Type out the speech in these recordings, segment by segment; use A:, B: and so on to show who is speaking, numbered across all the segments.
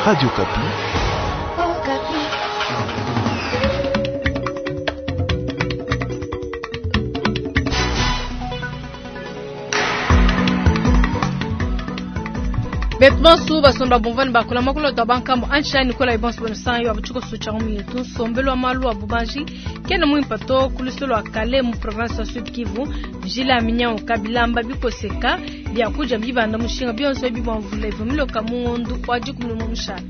A: Radio Okapi.
B: Betu bonso basomba bumvua ne bakula makulu tua bankambo anshani kola ibonso bonusanyo abuchiko sucha mu yetu nsombelu wa malu a bubanji kena muimpa to ku lua kale mu province wa Sud Kivu njila minyanguka bilamba bikoseka biakudia bibanda mushinga bionso ebi bua mvula ivua miloka mu ngondu wa dikumi ne mushala.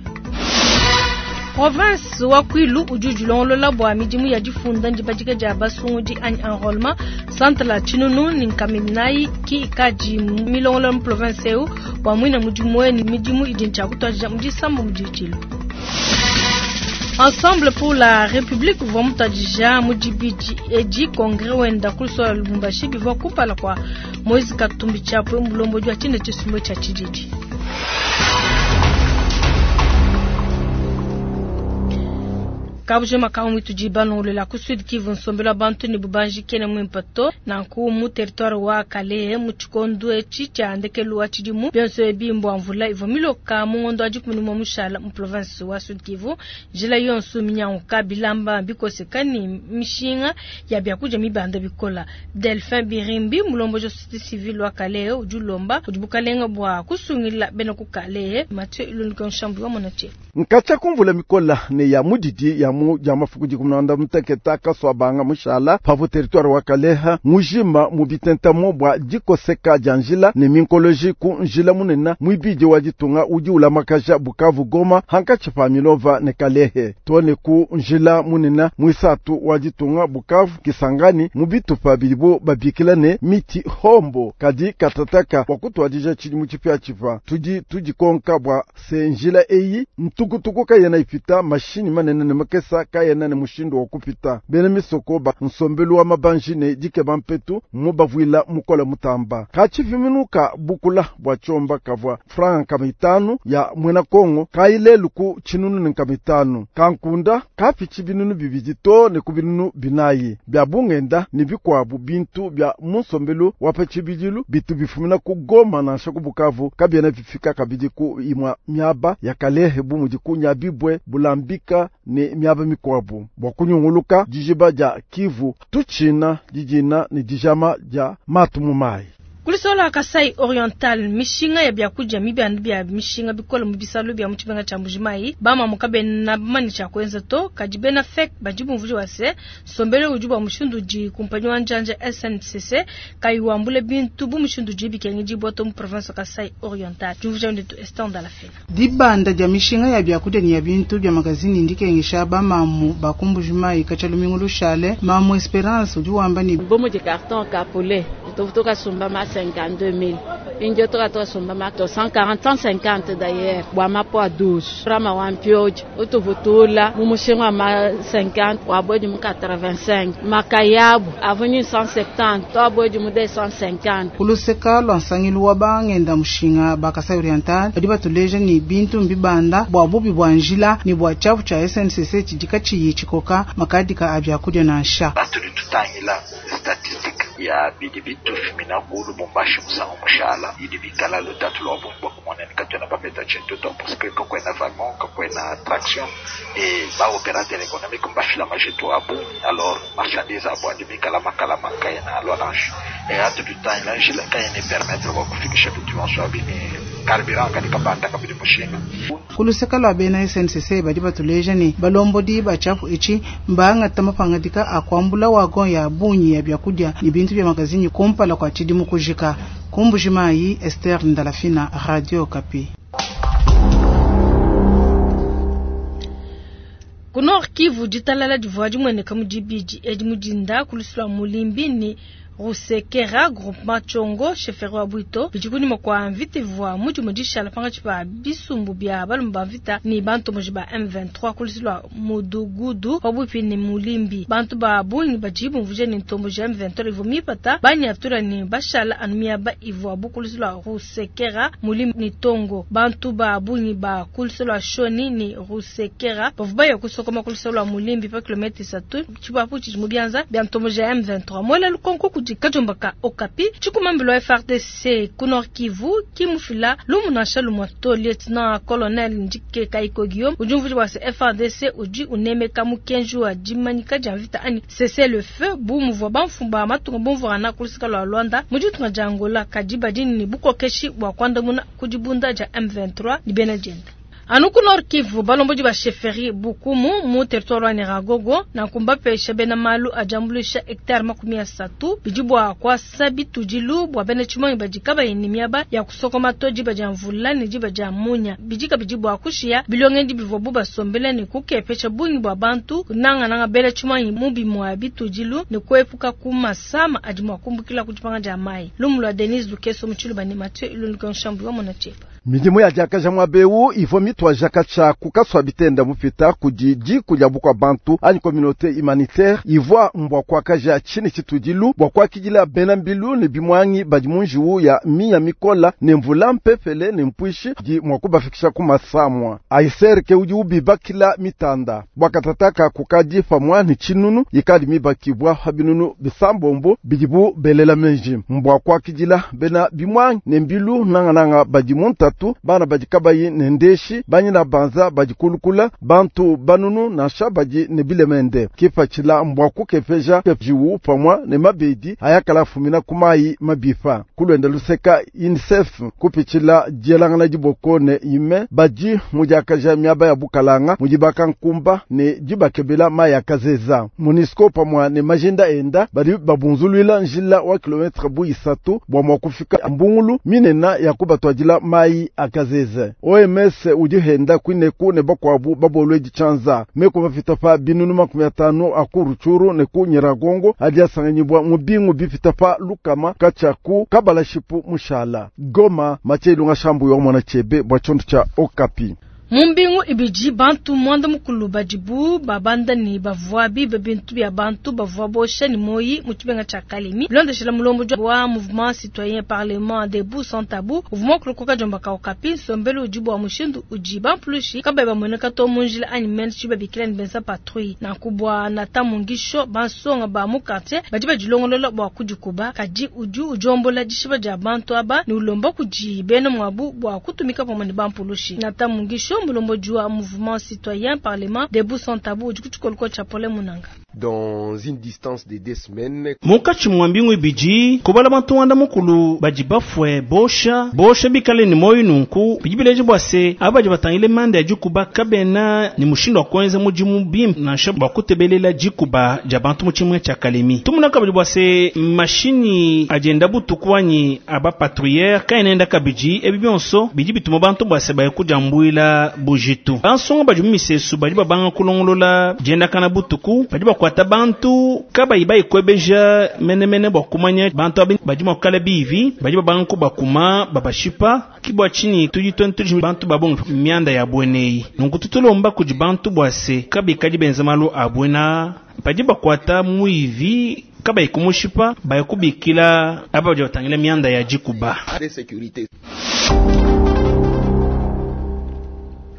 B: Province wa Kwilu udi udilongolola bua midimu ya difunda ndibadika dia basungudi anyi enrôlement centre la Tshinunu ni Nkaminayi ki ikadi milongolola mu province eu bua muina mudimu ne midimu idi ntshia mu disambo mu ditshilu. Ensemble pour la République uvua mutadija mu dibidi edi congrès wenda ku Lubumbashi bivua kumpala kua Moise Katumbi Chapwe mulombodi wa tshine tshisumbu tshia tshididi. Kabuje makamu tudi balongolola ku Sud Kivu nsombelu wa bantu ne bubanji kena muimpe to nanku mu territoire wa Kalehe mu tshikondo etshi tshia ndekelu wa tshidimu bionso ebi mbua mvula ivua miloka mu ngondo wa dikumi ne umue mushala mu province wa Sud Kivu njila yonso minyanguka bilamba bikoseka ne mishinga ya biakudia mibanda bikola. Delphin Birimbi mulomboji wa société civile wa Kalehe udi ulomba udi bukalenga bua kusungila bena ku Kalehe. Mathieu Ilunduka Nshambu wa Monatie.
C: Nkacha kumvula mikola ne ya mudidi ya mu ya mafuku dikumi na muteketa kaswa banga mushala pavo territoire wa Kaleha mujima mu bitentamo bua dikoseka dia njila ne minkoloji ku njila munena mwibidi wa ditunga udi ulamakaja Bukavu Goma hankatshi pa Minova ne Kalehe tone ku njila munena mwisatu wa ditunga Bukavu Kisangani mu bitupa bidibo babikila ne miti hombo kadi katataka wa kutwadija tshidimu tshipia tshipa tudi tudikonka bua se njila eyi ntukutuku kayena ipita mashini manene ne makesa kayena ne mushindu wa kupita bena misoko ba nsombelu wa mabanji ne dikeba mpetu mu bavuila mukola mutamba kachiviminuka bukula bua chomba kavua franga nkama itanu ya mwena Kongo kailelu ku tshinunu ne nkama itanu kankunda kapichi binunu bibidi to ne ku binunu binayi bya bungenda ne bikwabu bintu bya mu nsombelu wa pa tshibidilu bitu bifumina ku Goma nansha ku Bukavu kabiena bifika kabidi ku imwa miaba ya Kalehe bu mudi ku Nyabibwe Bulambika ne miaba mikwabu bua kunyunguluka dijiba dia Kivu tutshina didina ne dijama dia matu mu mayi.
B: Kulisola Kasai Oriental mishinga ya biakudia mibandu bia mishinga bikola mu bisalu bia mu tshimenga tshia Mbujimayi bamamu kabena bamanye tshia kuenza to kadi bena FEC badi bumvuija wa se nsombelu udi bua mushindu udi kumpanyi wa njanja SNCC kayi wambule bintu bu mushindu udi bikengedibua to mu province wa Kasai Oriental. Diumvuija ndetu Esther Ndalafena.
D: Dibanda dia mishinga ya biakudia ne ya bintu bia magazini ndikengesha bamamu ba ku Mbujimayi katshia lumingu lushale. Mamu Esperance udi wamba ne
E: bomo di carton ka poulet tuvutuka sumba ma 52 000 indio toka toka sumba ma 140 150 d'ailleurs bwa mapo a 12 rama wa mpioji utuvutula mu mushinga ma 50 wa bodi mu 85 makayabu avenue 170 to bodi mu 250.
D: Kuluseka lwa nsangilu wa bangenda mushinga ba Kasai Oriental badi batuleja ni bintu mbibanda bua bubi bua njila ni bua tshiapu tshia SNCC tshidi katshiyi tshikoka makadika a biakudia nansha.
F: Batudi tutangila statistique ya bidi bitufumina ku Lubumbashi musangu mushala idi bikala lutatu lwa bungi bua kumona ni katuena bapeta tshintu to parce que kakuena wagon kakuena traction et ba opérateur économique mbafila majitu a bungi alors marchandise abu adi bikala makala makayena alua nansha et atudi tutangila njila kayena permettre bua kufikisha bintu bionso abi ne carburant kadi kabanda kabidi mushinga.
D: Kuluseka lwa bena SNCC badi batuleja ne balombodi ba tshiapu etshi mbangata mapangadika a kuambula wagon ya bungi ya biakudia ne bintu bia magazini kumpala kua tshidimu kujika. Ku Mbujimayi, Esther Ndalafina, Radio Okapi.
B: Ku Nord Kivu ditalala divua dimueneka mu dibidi edi mu dinda ku lusu lua Mulimbi ne Rusekera groupement Tshongo chefferie wa Bwito bidi kunyima kua mvita ivua mudimu dishala pankatshi pa bisumbu bia balume ba mvita ne bantomboji ba M23 ku lusu lua Mudugudu pabuipi ne Mulimbi. Bantu ba bungi badi bumvuija ne ntomboji ya M23 ivua mipata banyatura ne bashala anu miaba ivuabu ku lusu lua Rusekera Mulimbi ne Tongo. Bantu ba bungi ba ku lusu lua Shoni ne Rusekera bavua baya kusokoma ku lusu lua Mulimbi pa kilomètre isatu tshipapu tshidi mu bianza bia ntomboji ya M23. Mwela lukonko kudi kudi kadiomba ka Okapi. Tshikumambilu wa FARDC ku Nord Kivu ki mufila lumu nansha lumue to. Lieutenant Colonel Ndike Kaiko Guillaume udi umvuija bua se FARDC udi unemeka mukenji wa dimanyika dia mvita anyi cessez le feu bu muvua bamfumu ba matunga bumvuangana ku luseke lua Luanda mu ditunga dia Angola, kadi badi ne bukokeshi bua kuandamuna ku dibunda dia M23 ne bena dienda. Anu ku Nord Kivu, balombodi ba chefferie Bukumu mu territoire wa Nyiragongo nanku mbapesha bena malu a diambuluisha hectare 30 bidi bua kuasa bitudilu bua bena tshimonyi badi kabayi ne miaba ya kusokoma to diba dia mvula ne diba dia munya. Bidi kabidi bua kushiya bilongedi bivuabu basombele ne kukepesha bungi bua bantu nangananga bena tshimonyi mu bimue bitudilu ne kuepuka ku masama adi mua kumbukila ku dipanga dia mayi. Lumu lua Denise Lukeso mu Tshiluba ne Mathieu Ilunduka Nshambu wa Mona Tchepa.
C: Midimu ya diakaja muaba eu ivua mituaja katshia ku kasua bitenda mupita kudi diku dia bukua bantu anyi communauté humanitaire ivua mbua kuakaja tshine tshitudilu bua kuakidila bena mbilu ne bimwangi badi mu njiwu ya minya mikola ne mvula mpepele ne mpuishi di mua kubafikisha ku masamua. Aiser ke udi ubibakila mitanda bua katataka kukadi pamua ne tshinunu ikadi mibakibua pa binunu bisambombo bidibu belela menji mbua kuakidila bena bimwangi ne mbilu nangananga badi mu ntatu bana badi kabayi ne ndeshi banyina banza badi kulukula bantu banunu nansha badi ne bilemende kipatshila mbua kukepesha jiwu pamua ne mabedi ayakala fumina ku mayi mabipa kulwenda luseka UNICEF kupitshila dielangana diboko ne ime badi mudiakaja miaba ya bukalanga mudibaka nkumba ne dibakebela mayi akazeza MONUSCO pamua ne majinda enda badi babunzuluila njila wa kilometre bu isatu bua mua kufika mbungulu minena ya kubatwadila mayi akazeze. OMS udi henda kwineku ne bakwabu babolwedi tshanza meko bapita pa binunu 50 aku Rutshuru ne ku Nyiragongo adi asanganyibwa mu bingu bipita pa lukama katshia kabalashipu mushala. Goma Mathieu Shambu yo mwana chebe bwa tshiondo tshia Okapi.
B: Mu mbingu ibidi bantu mwanda mukulu badibu babanda ne bavua bibe bintu bya bantu bavua bosha ne moyi mu tshibenga tshia Kalemi. Bilondeshela mulombo wa mouvement citoyen parlement debout sans tabou uvua kulokoka jomba ka Okapi nsombelu udi bua mushindu udi bampulushi kabayi bamueneka to mu njila anyi mene tshibabikila ne benza patrouille. Nanku bua Nathan Mungisho bansonga ba mu quartier badi badilongolola bua kudikuba kadi udi ujombola dishiba dia bantu aba ne ulomba kudi bena mwabu bua kutumika pamue ne bampulushi. Nathan Mungisho mulomboji wa mouvement citoyen parlement debout sans tabou udi kutshikoloko tshia Pole Munanga.
A: Dans une distance de 2 semaines,
G: munkatshi mwa mbingu ibidi kubala bantu wanda mukulu badi bafue bosha bosha bikale ni moyo nunku bidi bileje bua se aba badi batangile manda ya dikuba kabena ni mushindu wa kuenza mudimu bimpe nansha bua kutebelela dikuba dia bantu mu tshimue tshia Kalemi. Tumuna kabidi bua se mashini adienda butuku anyi aba patrouilleur kaenenda kabidi ebi bionso bidi bituma bantu bua se baye kudiambuila bujitu. Bansonga badi mu misesu badi babanga kulongolola diendakana butuku badi bakwata bantu kabayi bayikwebeja menemene bua kumanya bantu abi badi mua kukala bivi badi babanga kubakuma babashipa kibwa chini tudi tudi bantu babonga mianda ya bweneyi nunku tutulomba kudi bantu bua se kabikadi benza malu a bwena badi bakwata muivi kabayi kumushipa bayikubikila aba badi batangila mianda ya dikuba.
A: Sécurité.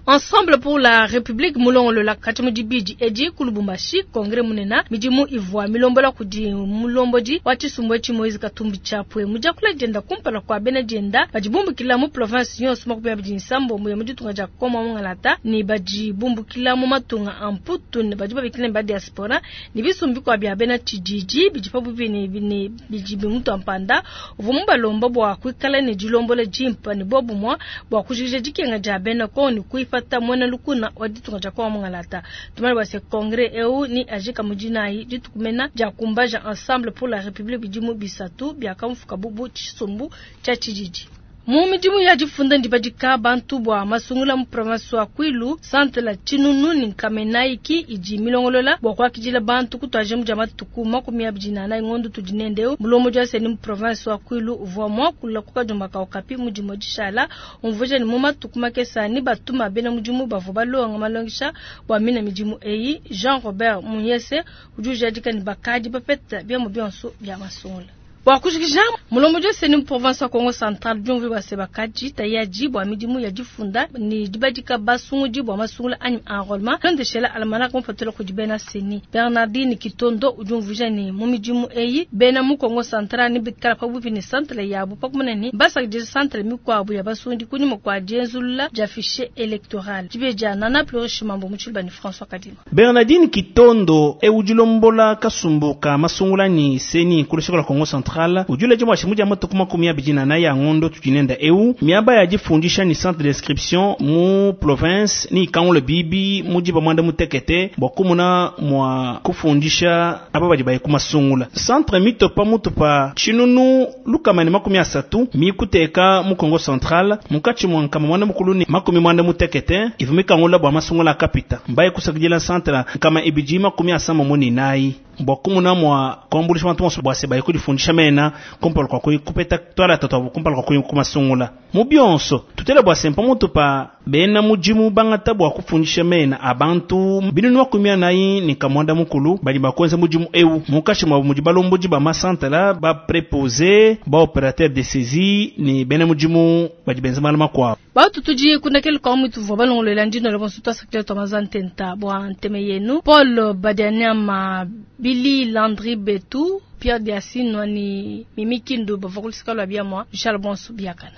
B: Ensemble pour la République mulongolola kati mu dibidi edi ku Lubumbashi Congrès munena midimu ivua milombola kudi mulombodi wa tshisumbu etshi Moïse Katumbi Chapwe mudiakula dienda kumpala kua bena dienda badi bumbukila mu province yonso 27 ya mu ditunga dia Kongo Mungalata ne badi bumbukila mu matunga a Mputu ne badi babikila ba diaspora ne bisumbi kwa bia bena tshididi bidi pabupi ne bidi bimutu ampanda uvua mubalomba bua kuikala ne dilombola dimpa ne bobumua bua kujikija dikenga dia bena Kongo ne kuipa pata mwana lukuna wa ditunga dia Kongo Mungalata. Tumale bua se congrès eu ni ajika mujinayi ditukumena dia kumbaja Ensemble pour la République bidimu bisatu biakamfuka bubu tshisumbu tshia tshididi. Mu midimu ya difunda ndibadika bantu bua masungula mu province wa Kwilu centre la Chinunu ni Kamenaiki idi milongolola bua kuakidila bantu kutwaje mu matuku 24 ngondo tudinendeo mulomo jwa seni mu province wa Kwilu uvua mwakula kukajumba ka Okapi mudimu dishala umvuja ni mu matuku makesa ni batuma bena mudimu bavua balonga malongisha bua mina midimu eyi Jean Robert Munyese udi ujadika ni bakadi bapeta bia mu bionso bia masungula. Bua kujikija, mulombodi wa CENI mu province wa Kongo Central udi umvuija bua se bakadi tayadi bua midimu ya difunda ne dibadika basungudi bua masungula anyi enrôlement bilondeshela almanach mupatula kudi bena CENI. Bernardine Kitondo udi umvuija ne mu midimu eyi bena mu Kongo Central nebikala pabuipi ne centre yabu pa kumona ne basakidila centre mikuabu ya basungudi kunyima kua dienzulula dia fichier electoral. Dibeji dia Nana Plurish Mambo mu Tshiluba ne François Kadima.
G: Bernardine Kitondo e udi ulombola kasumbu ka masungula ni CENI ku luseke lua Kongo Central udi uleja bua tshimu dia matuku 24 ya ngondo tudi nenda eu miaba ya difundisha ni centre d'inscription mu province ni ikangula bibi mu diba mwanda mutekete bua kumuna mua kufundisha aba badi baye ku masungula. Centre mitopa mutu pa tshinunu 130 mikuteka mu Kongo Central munkatshi mua 186 ivu mikangula bua masungula akapita mbaye kusakidila centre 274 bua kumuna mua kuambulisha bantu bonso bua se baye kudifundisha mena kumpala kua kuyi kupeta twala tatu abo kumpala kua kuyi kumasungula. Mu bionso tutela bua se mpamutu pa bena mudimu bangata bua kufundisha mena a bantu 441 ne kamwanda mukulu badi bakuenza mudimu eu munkatshi muabu mudi balombodi ba masantala ba préposé ba opérateur de saisie ne bena mudimu badi benza malu makuabu.
B: Batu tudi kundakele kwa mutu vua balongolola ndino la bonso twasakile twa mazantenta bua nteme yenu Paul Badianyama Billy Landry Betu Pierre Diasinwa ni Mimi Kindu bavua kulusika lua biamua Michel Bonso biakana.